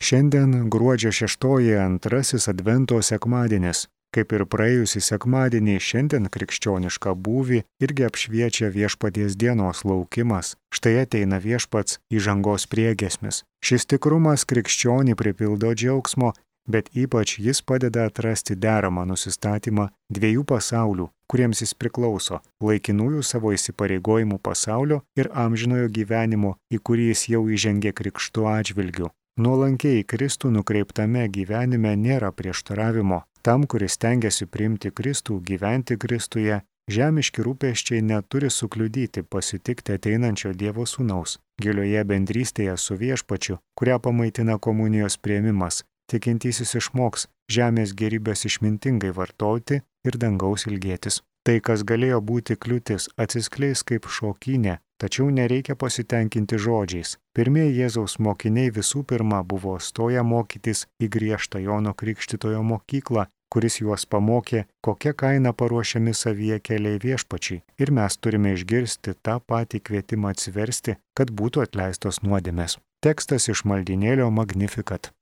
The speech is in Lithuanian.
Šiandien gruodžio 6 antrasis Advento sekmadienis. Kaip ir praėjusį sekmadienį, šiandien krikščionišką būvį irgi apšviečia Viešpaties dienos laukimas. Štai ateina Viešpats įžangos priegiesmis. Šis tikrumas krikščionį pripildo džiaugsmo, bet ypač jis padeda atrasti deramą nusistatymą dviejų pasaulių, kuriems jis priklauso - laikinųjų savo įsipareigojimų pasaulio ir amžinojo gyvenimo, į kurį jis jau įžengė krikštu atžvilgiu. Nuolankiai Kristų nukreiptame gyvenime nėra prieštaravimo. Tam, kuris stengiasi priimti Kristų, gyventi Kristuje, žemiški rūpesčiai neturi sukliudyti pasitikti ateinančio Dievo Sūnaus. Gilioje bendrystėje su Viešpačiu, kurią pamaitina komunijos priėmimas, tikintysis išmoks žemės gėrybės išmintingai vartoti ir dangaus ilgėtis. Tai, kas galėjo būti kliūtis, atsiskleis kaip šokynė, tačiau nereikia pasitenkinti žodžiais. Pirmieji Jėzaus mokiniai visų pirma buvo stoję mokytis į griežtą Jono Krikštytojo mokyklą, kuris juos pamokė, kokia kaina paruošiami savyje keliai Viešpačiui. Ir mes turime išgirsti tą patį kvietimą atsiversti, kad būtų atleistos nuodėmės. Tekstas iš maldynėlio Magnificat.